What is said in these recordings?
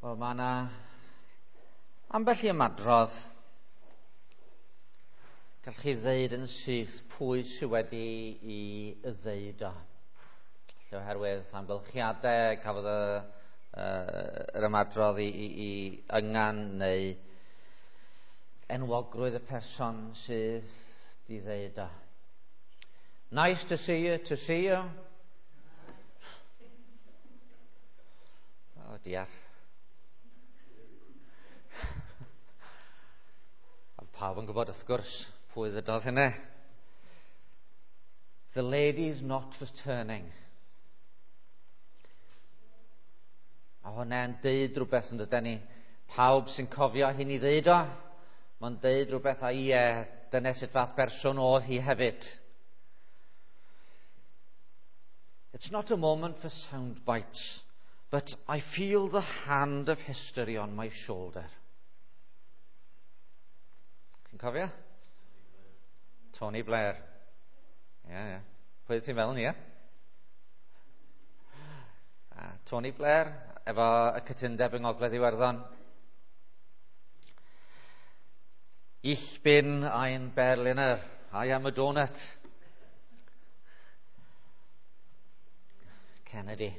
Wel, mae yna ambell i ymadrodd. Gallwch chi ddeud yn syth pwy sydd wedi i ddeud o. Lle oherwydd amgylchiadau, cafodd y, yr ymadrodd i yngan neu enwogrwydd y person sydd di ddeud o. Nice to see you, to see you. Oh dear. A pawb yn gwybod wrth gwrs pwy ddydodd hynny. The lady's not returning. A hwnna'n deud rhywbeth yn dydyn ni. Pawb sy'n cofio hyn i ddeud o, mae'n deud rhywbeth a ie, dyna sut fath berson oedd hi hefyd. It's not a moment for sound bites, but I feel the hand of history on my shoulder. Chi'n cofio? Tony Blair. Ie, yeah, ie. Yeah. Pwy ti'n feddwl ni, ie? Tony Blair, efo y cytundeb yng Ngogledd Iwerddon. Ich bin ein Berliner. I am a donut. Kennedy,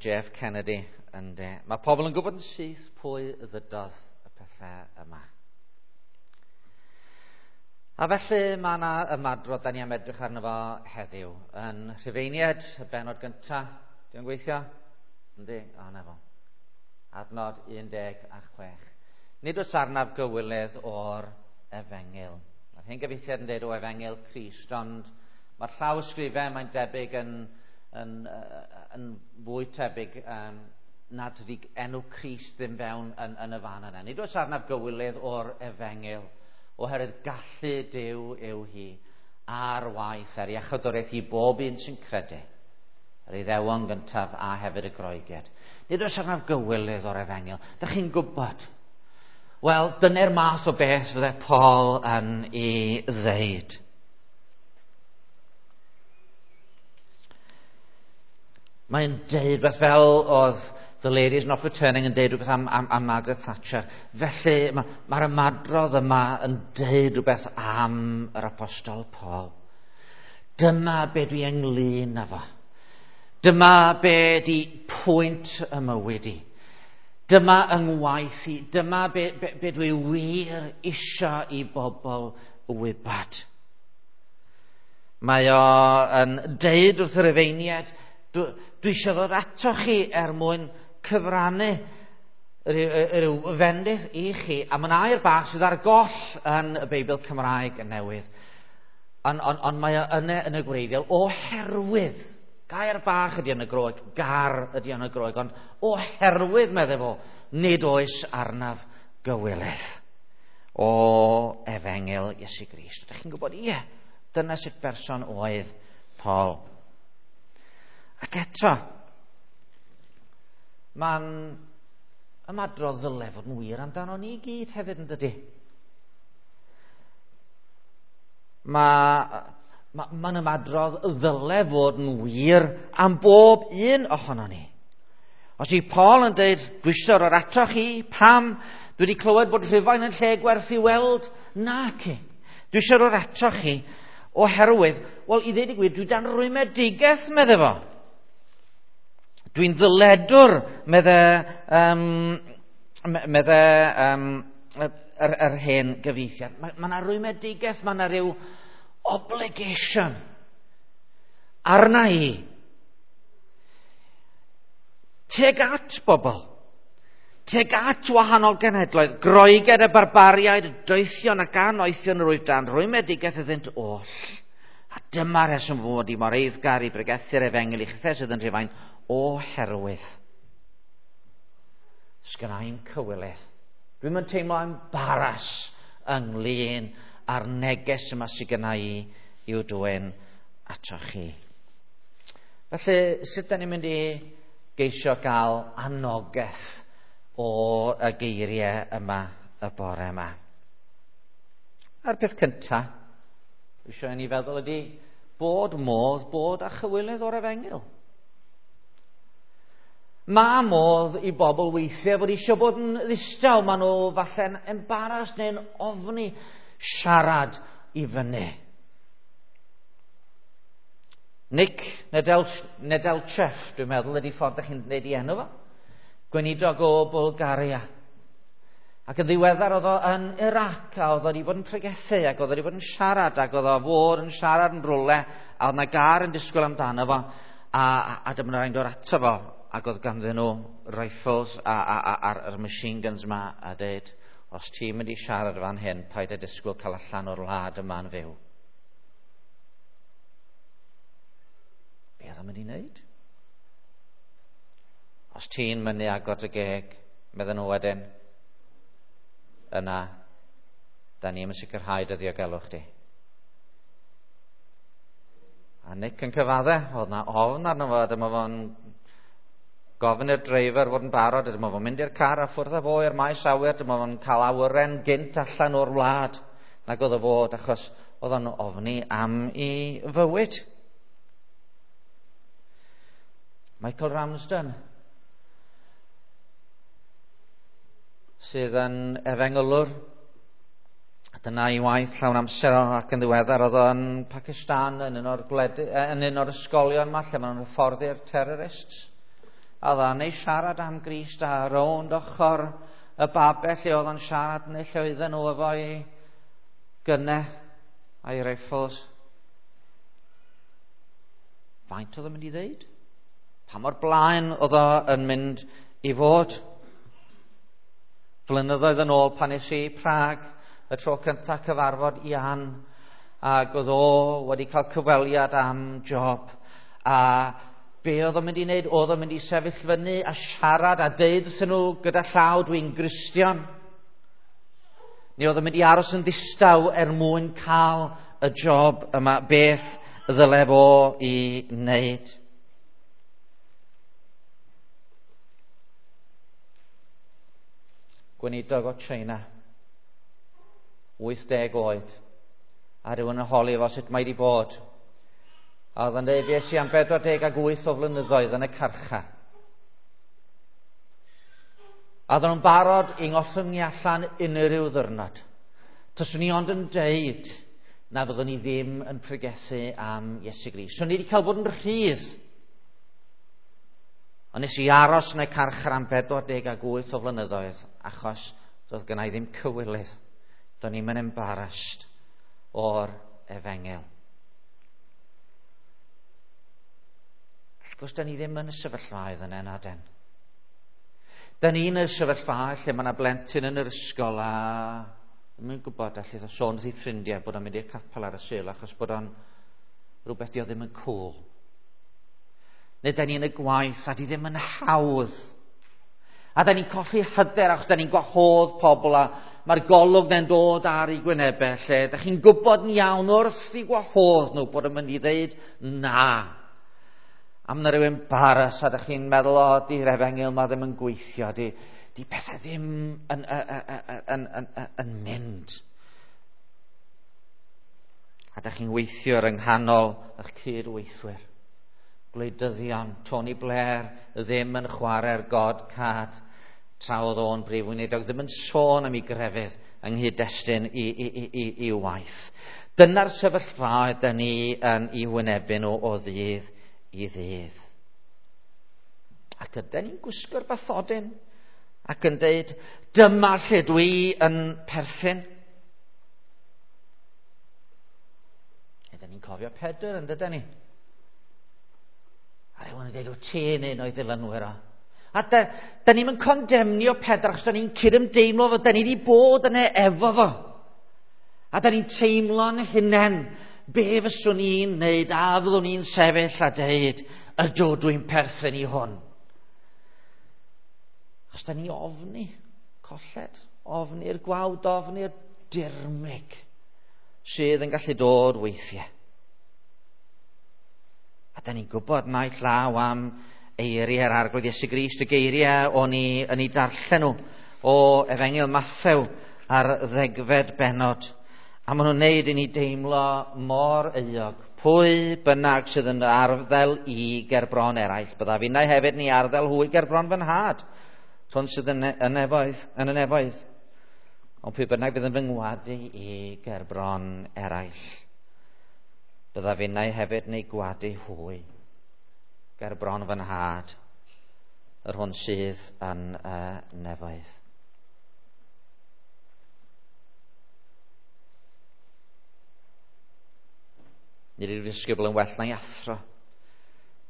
Jeff Kennedy. Ynde. Mae pobl yn gwybod yn syth pwy ddydodd y pethau yma. A felly mae yna ymadrodd da ni am edrych arno fo heddiw. Yn Rhufeiniaid, y benod gyntaf, dwi'n gweithio? Yndi? O, na fo. Adnod 16. Nid oes arnaf gywilydd o'r efengyl. Mae'r hen gyfieithiad yn dweud o efengyl Crist, ond mae'r llaw ysgrifau mae'n debyg yn fwy tebyg nad ydy enw Crist ddim fewn yn y fan yna. Nid oes arnaf gywilydd o'r efengyl, oherwydd gallu Duw yw hi ar waith ar iachawdwriaeth i bob un sy'n credu, yr Iddewon gyntaf a hefyd y Groegiaid. Nid oes arnaf gywilydd o'r efengyl. Dych chi'n gwybod? Wel, dyna'r math o beth fydde Paul yn ei ddeud. Mae'n deud beth fel oedd The Ladies Not Returning yn deud rhywbeth am Margaret Thatcher. Felly mae'r ymadrodd yma yn deud rhywbeth am yr Apostol Paul. Dyma be dwi ynglyn â fo. Dyma be di pwynt y mywyd i. Dyma yng ngwaith i. Dyma be dwi wir isio i bobl wybod. Mae o yn deud wrth yr Rhufeiniaid, dwi eisiau ddod ato chi er mwyn cyfrannu ryw fendith i chi. A mae'n air bach sydd ar goll yn y Beibl Cymraeg yn newydd. Ond mae o yna yn y gwreiddiol oherwydd. Gair bach ydy yn y Groeg, gar ydy yn y Groeg, ond oherwydd, meddai fo, nid oes arnaf gywilydd o efengyl Iesu Grist. Ydych chi'n gwybod, ie, dyna sut berson oedd Paul. Ac eto, mae'n ymadrodd ddyle fod yn wir amdano ni gyd hefyd yn dydy. Mae'n ymadrodd ddyle fod yn wir am bob un ohono ni. Os yw Paul yn dweud, dwi eisiau rhoi ato chi, pam? Dwi wedi clywed bod Rhufain yn lle gwerth i weld. Naci. Dwi eisiau rhoi ato chi oherwydd, wel, i ddweud y gwir, dwi dan rwymedigaeth, medde fo. Dwi'n ddyledwr, medde yr hen gyfieithiad. Mae yna rwymedigaeth, mae yna rhyw obligation arna i. Teg at bobl, teg at wahanol genhedloedd, Groegiaid a barbariaid, doethion ac anoethion yr wyf dan rwymedigaeth iddynt oll. A dyma reswm fod i mor eiddgar i bregethu'r efengyl i chithau sydd yn Rhufain, oherwydd sgynna i'm cywilydd. Dwi'm yn teimlo embaras ynglyn â'r neges yma sydd gynna i i'w dwyn ato chi. Felly, sut da ni'n mynd i geisio gael anogaeth o y geiriau yma y bore yma? A'r peth cyntaf, dwi eisiau i ni feddwl ydy bod modd bod â chywilydd o'r efengyl. Mae modd i bobl weithiau fod eisiau bod yn ddistaw. Maen nhw falle'n embarrassed neu'n ofni siarad i fyny. Nick Nedelchev, dwi'n meddwl, ydy ffordd ydych chi'n gwneud i enw fo. Gweinidog o Bulgaria. Ac yn ddiweddar oedd o yn Iraq, a oedd o wedi bod yn pregethu, ac oedd o wedi bod yn siarad, ac oedd o fod yn siarad yn rwle, a oedd na gar yn disgwyl amdano fo, a dyma nhw'n dod ato fo, ac oedd ganddyn nhw rifles a'r machine guns yma, a dweud, os ti'n mynd i siarad fan hyn, paid â disgwyl cael allan o'r wlad yma'n fyw. Be oedd o'n mynd i wneud? Os ti'n mynd i agor dy geg, medden nhw wedyn, yna, da ni'n sicrhau dy ddiogelwch di. A Nick yn cyfadde, oedd na ofn arno fo, dyma fo'n gofyn i'r dreifer fod yn barod, dyma fo'n mynd i'r car a ffwrdd â fo i'r maes awyr, dyma fo'n cael awyren gynt allan o'r wlad nag oedd o fod, achos oedd o'n ofni am ei fywyd. Michael Ramsden, sydd yn efengylwr, dyna ei waith llawn amser ac yn ddiweddar oedd o'n Pakistan yn un o'r yn un o'r ysgolion yma lle maen nhw'n hyfforddi'r terrorists. A oedd o'n ei siarad am Grist a rownd ochr y babell lle oedd o'n siarad neu lle oedden nhw efo'i gynnau a'i rifles. Faint oedd o'n mynd i ddeud? Pa mor blaen oedd o yn mynd i fod? Flynyddoedd yn ôl pan es i Prag, y tro cyntaf cyfarfod Ian, ac oedd o wedi cael cyfweliad am job. A be oedd o'n mynd i wneud? Oedd o'n mynd i sefyll fyny a siarad a deud wrthyn nhw gyda llaw, dwi'n Gristion. Neu oedd o'n mynd i aros yn ddistaw er mwyn cael y job yma, beth ddyle fo i wneud. Gweinidog o China, 80 oed, a rhywun yn holi fo sut mae wedi bod. A oedd yn dweud, fues i am 48 o flynyddoedd yn y carchar. A oedden nhw'n barod i ngollwng i allan unrhyw ddwrnod. Taswn i ond yn deud na fyddwn ni ddim yn pregethu am Iesu Grist. So ni wedi cael bod yn rhydd. Ond nes i aros yn y carchar am 48 o flynyddoedd, achos doedd gynna i ddim cywilydd. Do'n i'm yn embarrassed o'r efengyl. Wrth gwrs, da ni ddim yn y sefyllfaoedd yna, na den. Da ni yn y sefyllfa lle mae yna blentyn yn yr ysgol a ddim yn gwybod allith o sôn wrth ei ffrindiau bod o'n mynd i'r capel ar y Sul achos bod o'n rhywbeth di o ddim yn cool. Neu da ni yn y gwaith a di ddim yn hawdd. A da ni'n colli hyder achos da ni'n gwahodd pobl a mae'r golwg na'n dod ar ei gwynebau lle da chi'n gwybod yn iawn wrth i gwahodd nhw bod yn mynd i ddeud na. A mae yna rhyw embarrass a da chi'n meddwl, o, di'r efengyl ma ddim yn gweithio, di pethau ddim yn mynd. A da chi'n weithio ar yng nghanol eich cyd-weithwyr. Gwleidyddion, Tony Blair ddim yn chwarae'r God card tra oedd o'n brif weinidog, ddim yn sôn am ei grefydd yng nghyd-destun i waith. Dyna'r sefyllfa ydyn ni yn ei wynebu nhw o ddydd i ddydd. Ac ydyn ni'n gwisgo'r bathodyn ac yn deud, dyma lle dwi yn perthyn. Ydyn ni'n cofio Pedr, yn dydyn ni? A rhywun yn deud, o ti'n un o'i ddilynwyr o. A da ni'n condemnio Pedr achos da ni'n cydymdeimlo fo, da ni wedi bod yna efo fo. A da ni'n teimlo'n hunain, be fyswn i'n wneud, a fyddwn i'n sefyll a deud, ydw dwi'n perthyn i hwn. Achos da ni ofni colled, ofni'r gwawd, ofni'r dirmyg sydd yn gallu dod weithiau. A da ni'n gwybod naill law am eiriau'r Arglwydd Iesu Grist, y geiriau o'n i yn ei darllen nhw o Efengyl Mathew ar 10fed bennod. A maen nhw'n neud i ni deimlo mor euog. Pwy bynnag sydd yn arddel i gerbron eraill, byddaf innau hefyd ni arddel hwy gerbron fy nhad, hwn sydd yn y nefoedd, yn y nefoedd. Ond pwy bynnag bydd yn fy ngwadu i gerbron eraill, byddaf innau hefyd neu gwadu hwy gerbron fy nhad, yr hwn sydd yn y nefoedd. Nid yw'r disgybl yn well na'i athro,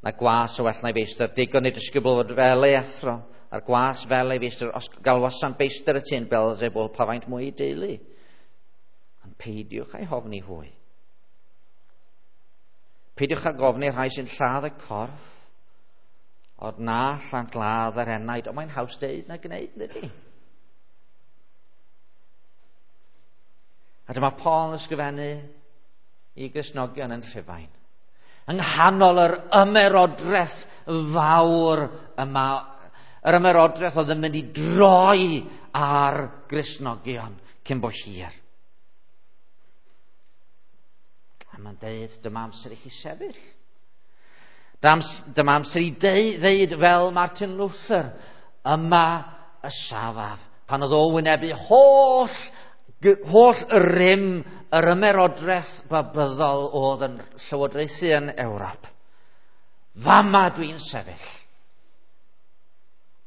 na gwas yn well na'i feistr. Digon i'r disgybl fod fel ei athro, a'r gwas fel ei feistr. Os galwasant feistr y tŷ'n Beelzebul, pa faint mwy i deulu? Ond peidiwch â'i hofni hwy. Peidiwch â gofni rhai sy'n lladd y corff, ond na allant ladd yr enaid. Ond mae'n haws deud na gwneud, ydy? A dyma Paul yn ysgrifennu i Gristnogion yn Rhufain. Yng nghanol yr ymerodraeth fawr yma, yr ymerodraeth oedd yn mynd i droi ar Gristnogion cyn bo hir. A mae'n deud, dyma amser i chi sefyll. Dyma amser i ddeud fel Martin Luther, yma y safaf. Pan oedd o wynebu holl rym yr ymerodraeth babyddol oedd yn llywodraethu yn Ewrop. Fama dwi'n sefyll.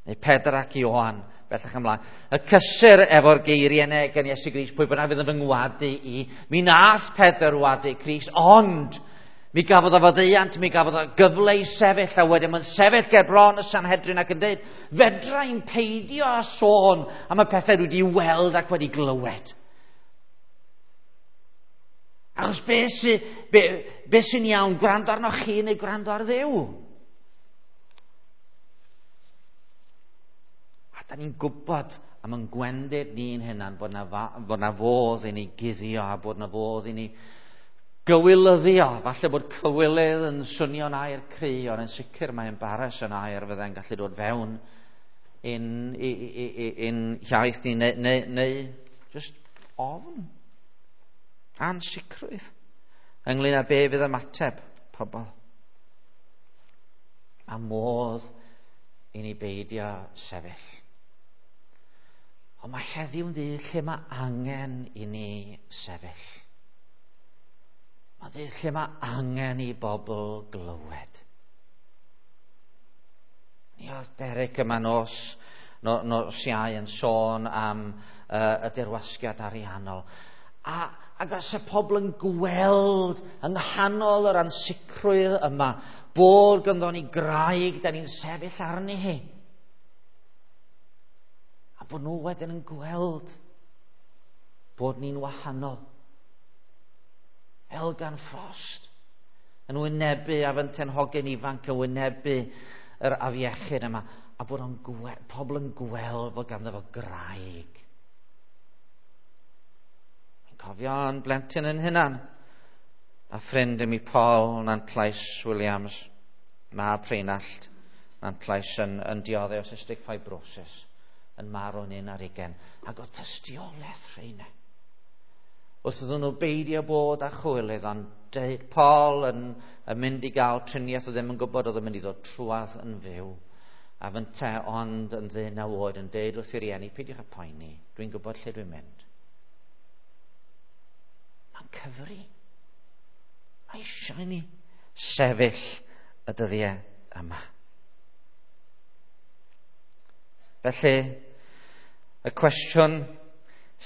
Neu Pedr ac Ioan, bellach ymlaen. Y cysur efo'r geiriau yna gan Iesu Grist, pwy bynnag fydd yn fy ngwadu i. Mi nath Pedr wadu Crist, ond mi gafodd o faddeuant, mi gafodd o gyfle i sefyll, a wedyn mae'n sefyll ger bron y Sanhedrin ac yn dweud, fedra i'n peidio â sôn am y pethau dwi wedi weld ac wedi glywed. Achos be sy'n iawn, gwrando arnoch chi neu gwrando ar Dduw? A da ni'n gwybod am yn gwendid ni'n hunan bod na fodd i ni guddio a bod na fodd i ni gywilyddio. Falle bod cywilydd yn swnio'n air cry, ond yn sicr mae embarrass yn air fydde'n gallu dod fewn in iaith ni, neu just ofn. Ansicrwydd ynglyn â be fydd ymateb pobl. A modd i ni beidio sefyll. Ond mae heddiw'n ddydd lle mae angen i ni sefyll. Mae'n ddydd lle mae angen i bobl glywed. Ni oedd Derek yma nos Iau yn sôn am y dirwasgiad ariannol. Ac os y pobl yn gweld yng nghanol yr ansicrwydd yma bod ganddo ni graig da ni'n sefyll arni hi. A bod nhw wedyn yn gweld bod ni'n wahanol. Elgan Frost yn wynebu a fynten hogyn ifanc yn wynebu yr afiechyd yma, a bod o'n pobl yn gweld bod ganddo fo graig. Cofio'n blentyn yn hunan, a ffrind i mi Paul Nantlais Williams, mab Rheinallt Nantlais yn dioddef o cystic fibrosis, yn marw'n 21, ac oedd tystiolaeth rheina. Wrth iddyn nhw beidio bod â chwilydd, ond deud Paul yn mynd i gael triniaeth oedd ddim yn gwybod oedd yn mynd i ddod trwadd yn fyw, a fynte ond yn 19 oed yn deud wrth i rieni, peidiwch â poeni, dwi'n gwybod lle dwi'n mynd. Mae'n cyfri. Mae eisiau ni sefyll y dyddiau yma. Felly, y cwestiwn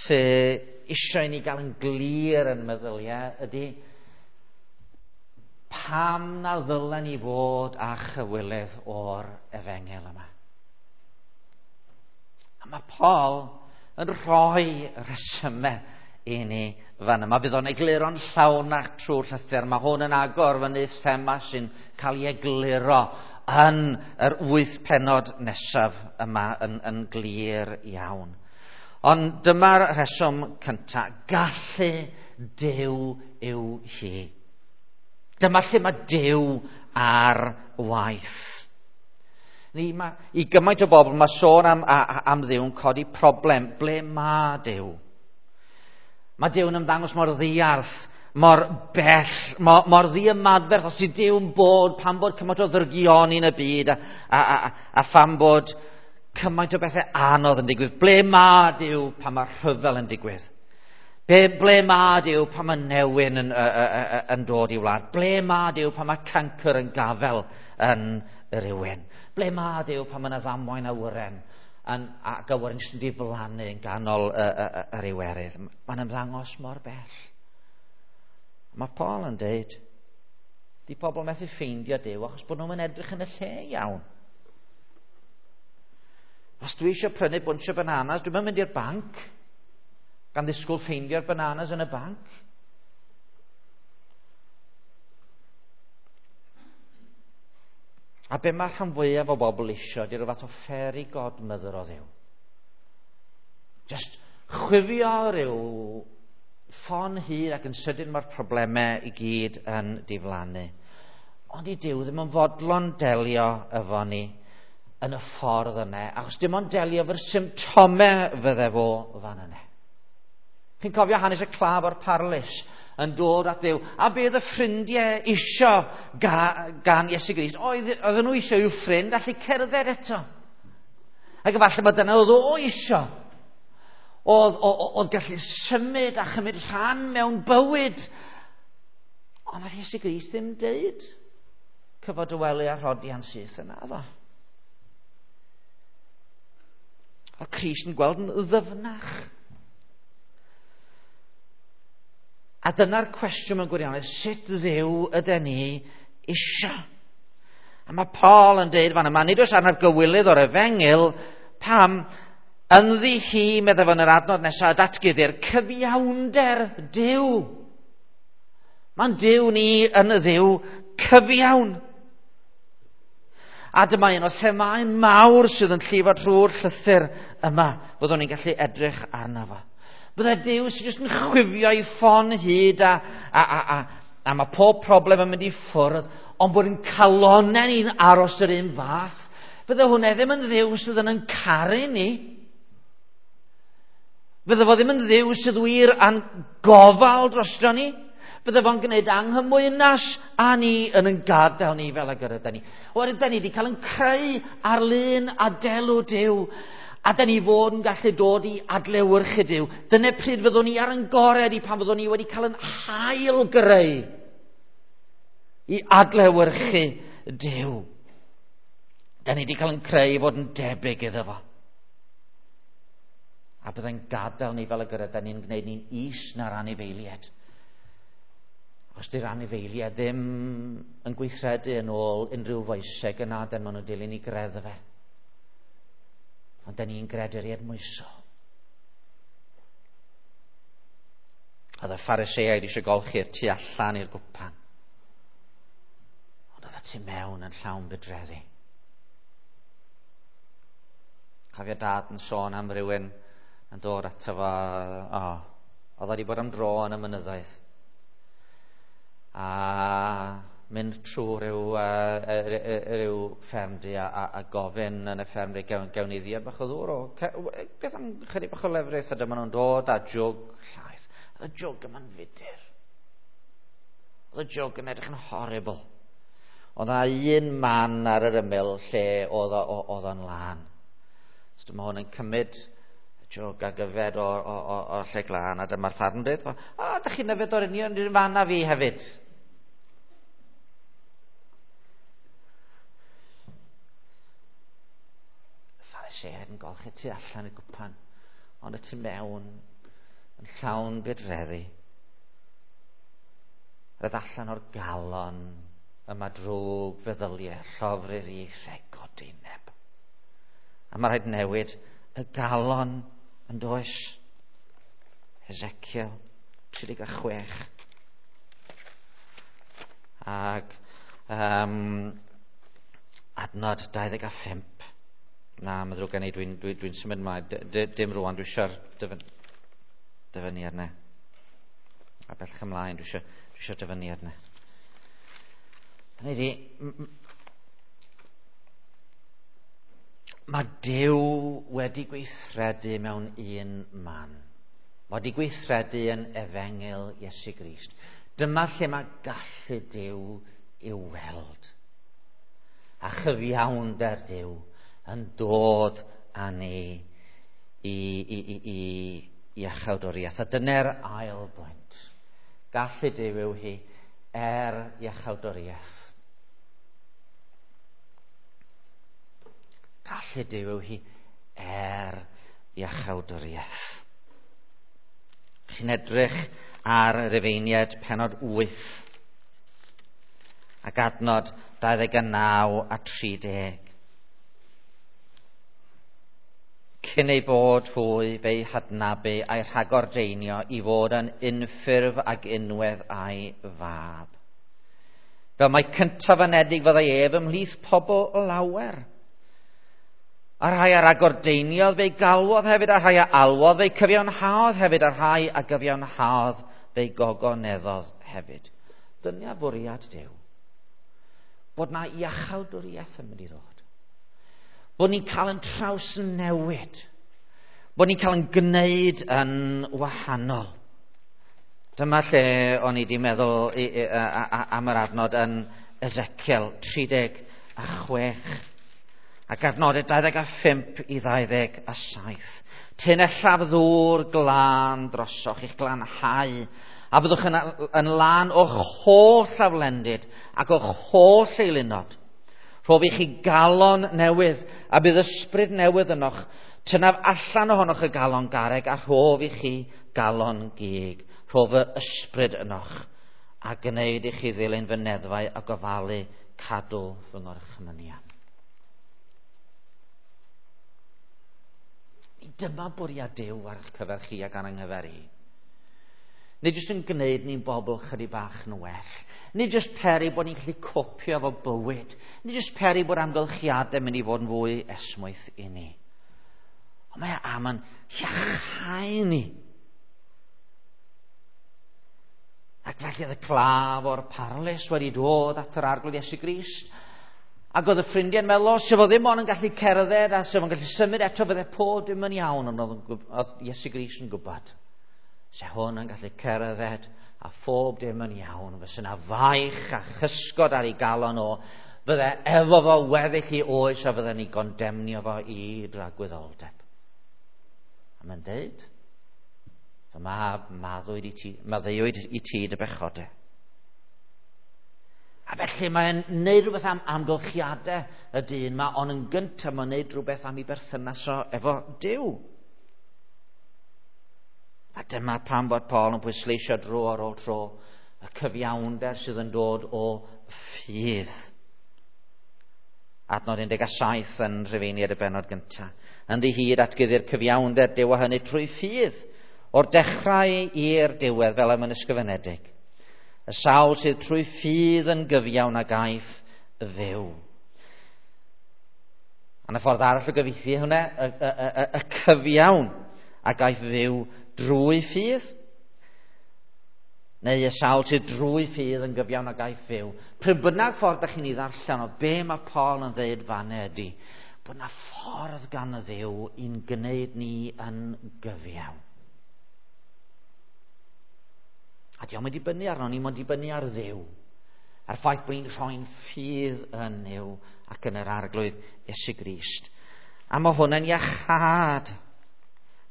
sydd eisiau ni gael yn glir yn meddyliau ydy, pam na ddylen ni fod â chywilydd o'r efengyl yma? A mae Paul yn rhoi rhesymau i ni fan yma. Bydd o'n egluro'n llawnach trwy'r llythyr. Mae hwn yn agor fyny thema sy'n cael ei egluro yn yr 8 pennod nesaf yma yn glir iawn. Ond dyma'r rheswm cyntaf. Gallu Duw yw hi. Dyma lle mae Duw ar waith. I gymaint o bobl mae sôn am Dduw yn codi problem. Ble mae Duw? Mae Duw yn ymddangos mor ddiarth, mor bell, mor ddiymadferth, os yw Duw'n bod, pam bod cymaint o ddrygioni yn y byd, a pham bod cymaint o bethau anodd yn digwydd. Ble mae Duw pan mae rhyfel yn digwydd? Ble mae Duw pan mae newyn yn dod i wlad? Ble mae Duw pan mae cancr yn gafel yn rhywun? Ble mae Duw pan mae yna ddamwain awyren ac awyren sy'n diflannu yn ganol yr Iwerydd? Mae'n ymddangos mor bell. Mae Paul yn deud, di pobl methu ffeindio Duw achos bod nhw'n edrych yn y lle iawn. Os dwi eisiau prynu bunch o bananas, dwi'n mynd i'r banc gan ddisgwyl ffeindio'r bananas yn y banc. A be mae'r rhan fwyaf o bobl eisiau, di rhyw fath o fairy godmother o Dduw. Just chwifio rhyw ffon hir ac yn sydyn mae'r problemau i gyd yn diflannu. Ond i Duw ddim yn fodlon delio efo ni yn y ffordd yna, achos dim ond delio efo'r symptomau fydde fo fan yna. Chi'n cofio hanes y claf o'r parlys yn dod at Dduw, a be oedd y ffrindiau isio gan Iesu Grist? Oedden nhw isio i'w ffrind allu cerdded eto. Ac efallai bod dyna oedd o isio. Oedd gallu symud a chymryd rhan mewn bywyd. Ond nath Iesu Grist ddim deud cyfod y wely a rhodian syth yna, ddo. Oedd Crist yn gweld yn ddyfnach. A dyna'r cwestiwn mewn gwirionedd, sut Dduw ydyn ni isio? A mae Paul yn deud fan yma, nid oes arnaf gywilydd o'r efengyl, pam ynddi hi, meddai fo yn yr adnod nesaf, datguddir cyfiawnder Duw. Mae'n Duw ni yn y Dduw cyfiawn. A dyma un o themâu mawr sydd yn llifo trwy'r llythyr yma, byddwn ni'n gallu edrych arno fo. Bydde Duw sydd jyst yn chwifio i ffon hyd a mae pob problem yn mynd i ffwrdd, ond bod yn calonau ni'n aros yr un fath. Bydde hwnna ddim yn Dduw sydd yn caru ni. Bydde fo ddim yn Dduw sydd wir a'n gofal drosto ni. Bydde fo'n gwneud anghymwynas a ni yn gadael ni fel ag yr ydyn ni. Oherwydd da ni wedi cael yn creu ar lun a delw Duw, a da ni fod yn gallu dod i adlewyrchu Duw. Dyna pryd fyddwn ni ar yn gorau i pan fyddwn ni wedi cael yn hail greu i adlewyrchu Duw. Da ni wedi cael yn creu i fod yn debyg iddo fo. A byddai'n gadael ni fel y gyda, da ni'n gwneud ni'n is na'r anifeiliaid. Os di'r anifeiliaid ddim yn gweithredu yn ôl unrhyw foeseg yna, dan maen nhw'n dilyn i greddfe. Ond da ni'n greaduriaid moesol. Oedd y Phariseaid eisiau golchi'r tu allan i'r gwpan. Ond oedd y tu mewn yn llawn budreddi. Cofio dad yn sôn am rywun yn dod ato fo, oedd wedi bod am dro yn y mynyddoedd. A mynd trwy rhyw ffermdy a gofyn yn y ffermdy gewn ni ddiod bach o ddŵr o beth am chydig bach o lefrith, a dyma nhw'n dod â jwg llaeth. Oedd y jwg yma'n fudur. Oedd y jwg yn edrych yn horrible. Oedd yna un man ar yr ymyl lle oedd o'n lân. So dyma hwn yn cymryd jwg ag yfed o'r lle glân, a dyma'r ffarm yn dweud, da chi'n yfed o'r union un fan â fi hefyd. Phariseaid yn golchi tu allan y gwpan, ond y tu mewn yn llawn budreddi. Roedd allan o'r galon yma drwg feddyliau, llofruddiaethau, godineb. A mae rhaid newid y galon yn does. Ezekiel 36. Ac adnod 25. Na, mae ddrwg gen i, dwi'n symud ymlaen. Dim rwan, dwi eisiau'r dyfyniad yna. A bellach ymlaen, dwi eisiau'r dyfyniad yna. Hynny ydi, mae Duw wedi gweithredu mewn un man. Mae wedi gweithredu yn efengyl Iesu Grist. Dyma lle mae gallu Duw i'w weld. A chyfiawnder Duw yn dod â ni i iachawdwriaeth. A dyna'r ail bwynt. Gallu Duw yw hi er iachawdwriaeth. Gallu Duw yw hi er iachawdwriaeth. Chi'n edrych ar yr Rufeiniaid pennod 8 ac adnod 29 a 30. Cyn ei bod hwy fe'i hadnabu a'i rhagordeinio i fod yn unffurf ag unwedd a'i fab. Fel mai cyntaf anedig fyddai ef ymhlith pobl lawer. A rhai a ragordeiniodd fe'i galwodd hefyd, a rhai a alwodd fe'i cyfiawnhaodd hefyd, a rhai a gyfiawnhaodd fe'i gogoneddodd hefyd. Dyna fwriad Duw. Bod na iachawdwriaeth yn mynd i ddod. Bod ni'n cael yn trawsnewid. Bod ni'n cael yn gwneud yn wahanol. Dyma lle o'n i wedi meddwl am yr adnod yn Ezekiel 36. Ac adnodau 25 i 27. Tynellaf ddŵr glân drosoch i'ch glanhau, a byddwch yn lân o'ch holl aflendid ac o'ch holl eilunod. Rhof i chi galon newydd, a bydd ysbryd newydd ynoch. Tynaf allan ohonoch y galon garreg, a rhof i chi galon gig. Rhof y ysbryd ynoch, a gwneud i chi ddilyn fy neddfau a gofalu cadw fy ngorchmynion. Dyma bwriad Duw ar eich cyfer chi ac ar yng nghyfer i. Nid jyst yn gwneud ni'n bobl chydig bach yn well. Nid jyst peri bod ni'n gallu copio efo bywyd. Nid jyst peri bod amgylchiadau mynd i fod yn fwy esmwyth i ni. Ond mae am yn iachau ni. Ac felly oedd y claf o'r parlys wedi dod at yr Arglwydd Iesu Grist. Ac oedd y ffrindiau'n meddwl, sef o ddim ond yn gallu cerdded a sef o'n gallu symud eto, fydde pob dim yn iawn, ond oedd Iesu Grist yn gwybod. Se hwn yn gallu cerdded a phob dim yn iawn, fysa yna faich a chysgod ar ei galon o, fydde efo fo weddill i oes a fydde ni gondemnio fo i dragwyddoldeb. A mae'n deud, fy mab, maddeuwyd i ti dy bechodau. A felly mae'n neud rhywbeth am amgylchiadau y dyn yma, ond yn gyntaf mae'n neud rhywbeth am ei berthynas o efo Duw. A dyma pam bod Paul yn pwysleisio dro ar ôl tro y cyfiawnder sydd yn dod o ffydd. Adnod 17 yn Rhufeiniaid y bennod gyntaf. Ynddi hyd atgyddi'r cyfiawnder Duw a hynny trwy ffydd, o'r dechrau i'r diwedd fel y mae'n ysgrifenedig. Y sawl sydd trwy ffydd yn gyfiawn a gaiff fyw. A y ffordd arall o gyfieithu hwnna, y cyfiawn a gaiff fyw drwy ffydd. Neu y sawl sydd drwy ffydd yn gyfiawn a gaiff fyw. Pryd bynnag ffordd ydych chi'n ei ddarllen o be mae Paul yn dweud fanna ydy, bod na ffordd gan y Dduw i'n gwneud ni yn gyfiawn. A diolch yn dibynnu arno ni, mae'n dibynnu ar Dduw. A'r ffaith bod ni'n rhoi'n ffydd yn Nuw ac yn yr Arglwydd Iesu Grist. A mae hwn yn iachâd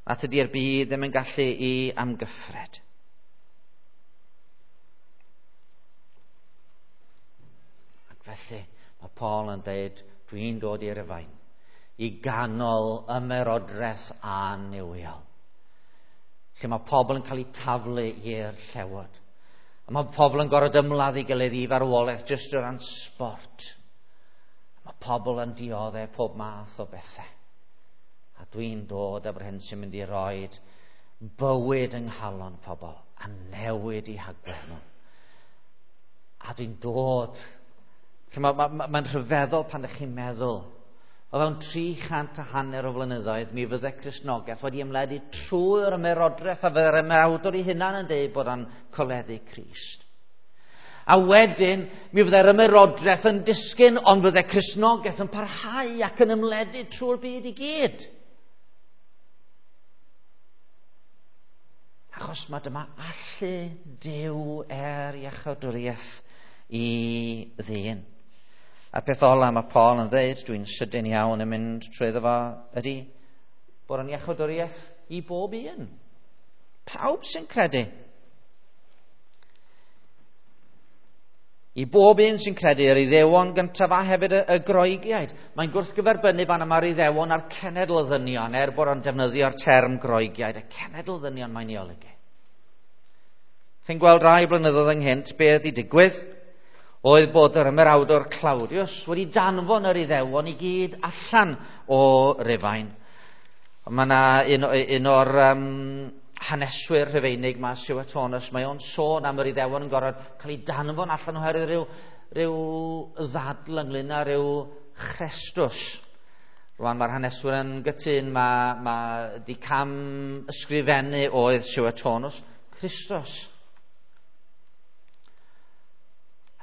nad ydy'r byd ddim yn gallu i amgyffred. Ac felly mae Paul yn dweud, dwi'n dod i'r Rufain, i ganol ymerodraeth annuwiol, lle mae pobl yn cael eu taflu i'r llewod. A mae pobl yn gorfod ymladd i gilydd i farwolaeth jyst o ran sport. A mae pobl yn dioddef pob math o bethau. A dwi'n dod efo'r hyn sy'n mynd i roed bywyd yng nghalon pobl a newid i hagwedd nhw. A dwi'n dod. Mae'n rhyfeddol pan ydych chi'n meddwl. O fewn 350 o flynyddoedd, mi fydde Cristnogaeth wedi ymledu trwy'r ymerodraeth a fydde'r ymerawdwr ei hunan yn dweud bod o'n coleddu Crist. A wedyn, mi fydde'r ymerodraeth yn disgyn, ond fydde Cristnogaeth yn parhau ac yn ymledu trwy'r byd i gyd. Achos mae dyma allu Duw er iachawdwriaeth i ddyn. A'r peth ola mae Paul yn dweud, dwi'n sydyn iawn yn mynd trwyddo fo, ydy bod yn iachawdwriaeth i bob un. Pawb sy'n credu. I bob un sy'n credu, yr Iddewon gyntaf a hefyd y Groegiaid. Mae'n gwrthgyferbynnu fan yma'r Iddewon a'r cenedl ddynion, er bod o'n defnyddio'r term Groegiaid, y cenedl ddynion mae'n ei olygu. Chi'n gweld rai blynyddoedd ynghynt be ydi digwydd? Oedd bod yr ymerawdwr Claudius wedi danfon yr Iddewon i gyd allan o Rufain. Mae yna un o'r haneswyr Rhufeinig ma, Suetonius, mae o'n sôn am yr Iddewon yn gorfod cael ei danfon allan oherwydd rhyw ddadl ynglyn â rhyw Chrestus. Rwan mae'r haneswyr yn gytun, mae di cam ysgrifennu oedd Suetonius, Christus.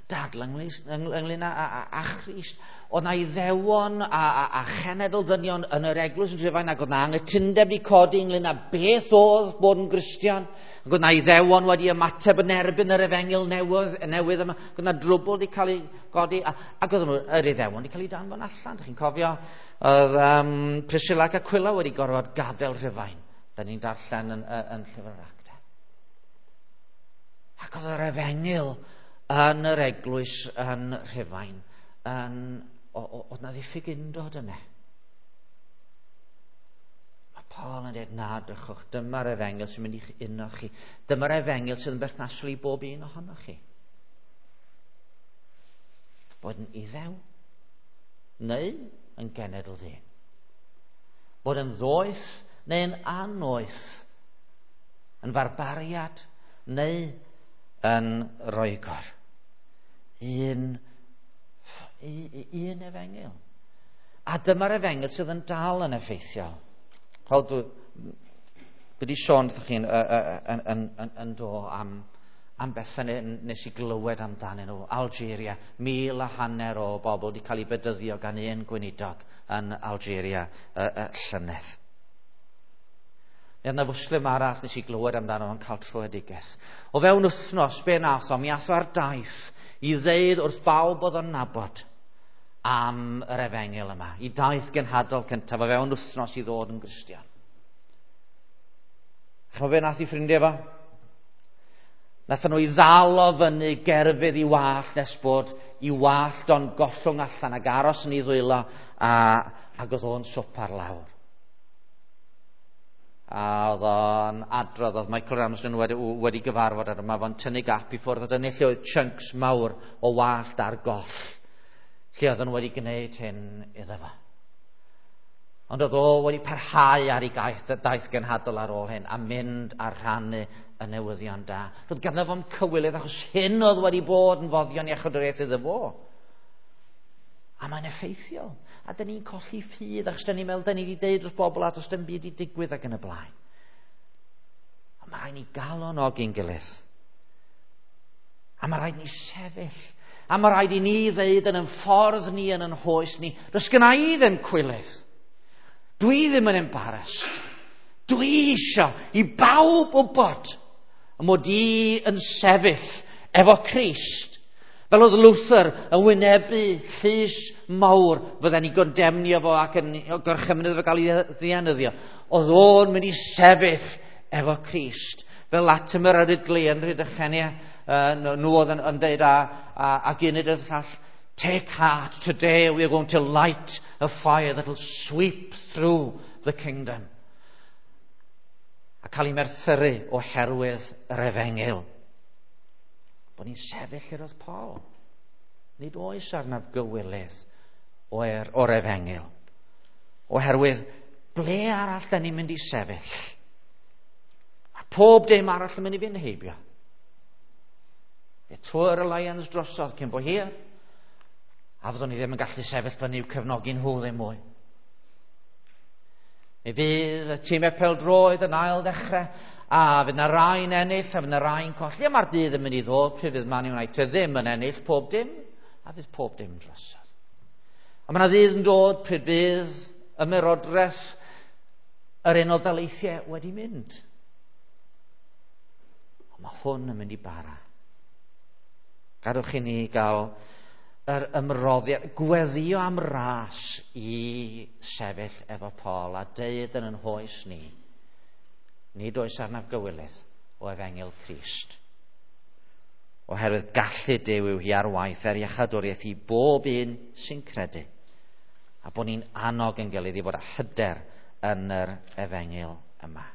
Dadl ynglyn â Christ. Oedd na Iddewon a chenedl ddynion yn yr eglwys yn Rhufain, ac oedd na anghytundeb wedi codi ynglyn â beth oedd bod yn Gristion. Ac oedd na Iddewon wedi ymateb yn erbyn yr efengyl newydd yma. Ac oedd na drwbl wedi cael ei godi, ac oedd nhw, yr Iddewon wedi cael ei danfon allan. Dych chi'n cofio, oedd Priscilla ac Aquila wedi gorfod gadael Rhufain. Da ni'n darllen yn Llyfr yr Actau. Ac oedd yr efengyl yn yr eglwys yn Rhufain oedd na ddiffyg undod yna. Mae Paul yn dweud, na, drychwch, dyma'r efengyl sy'n mynd i'ch uno chi. Dyma'r efengyl sydd yn berthnasol i bob un ohonoch chi. Bod yn Iddew neu yn genedl ddyn. Bod yn ddoeth neu'n annoeth. Yn farbariad neu yn Roegor. Un efengyl. A dyma'r efengyl sydd yn dal yn effeithiol. Wel, dwi wedi sôn wrthych chi'n yn do am bethau nes i glywed amdanyn nhw. Algeria, 1,500 o bobl wedi cael eu bedyddio gan un gweinidog yn Algeria llynedd. Neu yna fwslim arall nes i glywed amdano yn cael troedigaeth. O fewn wythnos, be nath o? Mi ath o ar daith i ddeud wrth bawb oedd o'n nabod am yr efengyl yma. I daith genhadol cyntaf o fewn wythnos i ddod yn Gristion. Ch'mo' be nath i ffrindiau fo? Nathon nhw i ddal o fyny gerfydd i wallt nes bod i wallt o'n gollwng allan ac aros yn ei ddwylo ac oedd o'n swpar lawr. A oedd o'n adrodd, oedd Michael Ramsden wedi gyfarfod ar yma, fo'n tynnu gap i ffwrdd, a dyna lle oedd chunks mawr o wallt ar goll, lle oedd nhw wedi gwneud hyn iddo fo. Ond oedd o wedi parhau ar ei daith genhadol ar ôl hyn, a mynd a rhannu y newyddion da. Roedd ganddo fo'm cywilydd, achos hyn oedd wedi bod yn foddion iachawdwriaeth iddo fo. A mae'n effeithiol. A dyn ni'n colli ffydd, achos dyn ni'n meddwl, dyn ni wedi deud wrth bobl a does dim byd i digwydd ac yn y blaen. A mae rhaid ni galonogi'n gilydd. A mae rhaid ni sefyll. A mae rhaid i ni ddeud yn ein ffordd ni, yn ein hoes ni, does gynna i ddim cwilydd. Dwi ddim yn embarrassed. Dwi isio i bawb wybod mod i yn sefyll efo Crist. Fel oedd Luther yn wynebu llys mawr fydden ni gondemnio fo ac yn gorchymyn iddo fo gael ei ddienyddio. Oedd o'n mynd i sefyll efo Crist. Fel Latimer a Ridley yn Rhydychen, nhw oedd yn dweud a gynid y llall, take heart, today we are going to light a fire that will sweep through the kingdom. A cael ei merthyru oherwydd yr efengyl. Bod ni'n sefyll lle roedd Paul. Nid oes arnaf gywilydd o'r efengyl. Oherwydd ble arall da ni'n mynd i sefyll? Mae pob dim arall yn mynd i fynd heibio. Y Tour Alliance drosodd cyn bo hir. A fyddwn ni ddim yn gallu sefyll fyny i'w cefnogi nhw ddim mwy. Mi fydd y tîmau pêl-droed yn ail ddechrau, a fydd na rai'n ennill, a fydd na rai'n colli, a mae'r dydd yn mynd i ddod pryd fydd Man United ddim yn ennill pob dim, a fydd pob dim drosodd. A mae yna ddydd yn dod pryd fydd ymerodres yr Unol Daleithiau wedi mynd. Ond mae hwn yn mynd i bara. Gadwch i ni gael yr ymroddiad, gweddio am ras i sefyll efo Paul a deud yn yn hoes ni, nid oes arnaf gywilydd o efengyl Crist. Oherwydd gallu Duw yw hi ar waith er iachadwriaeth i bob un sy'n credu. A bod ni'n annog yn gilydd i fod â hyder yn yr efengyl yma.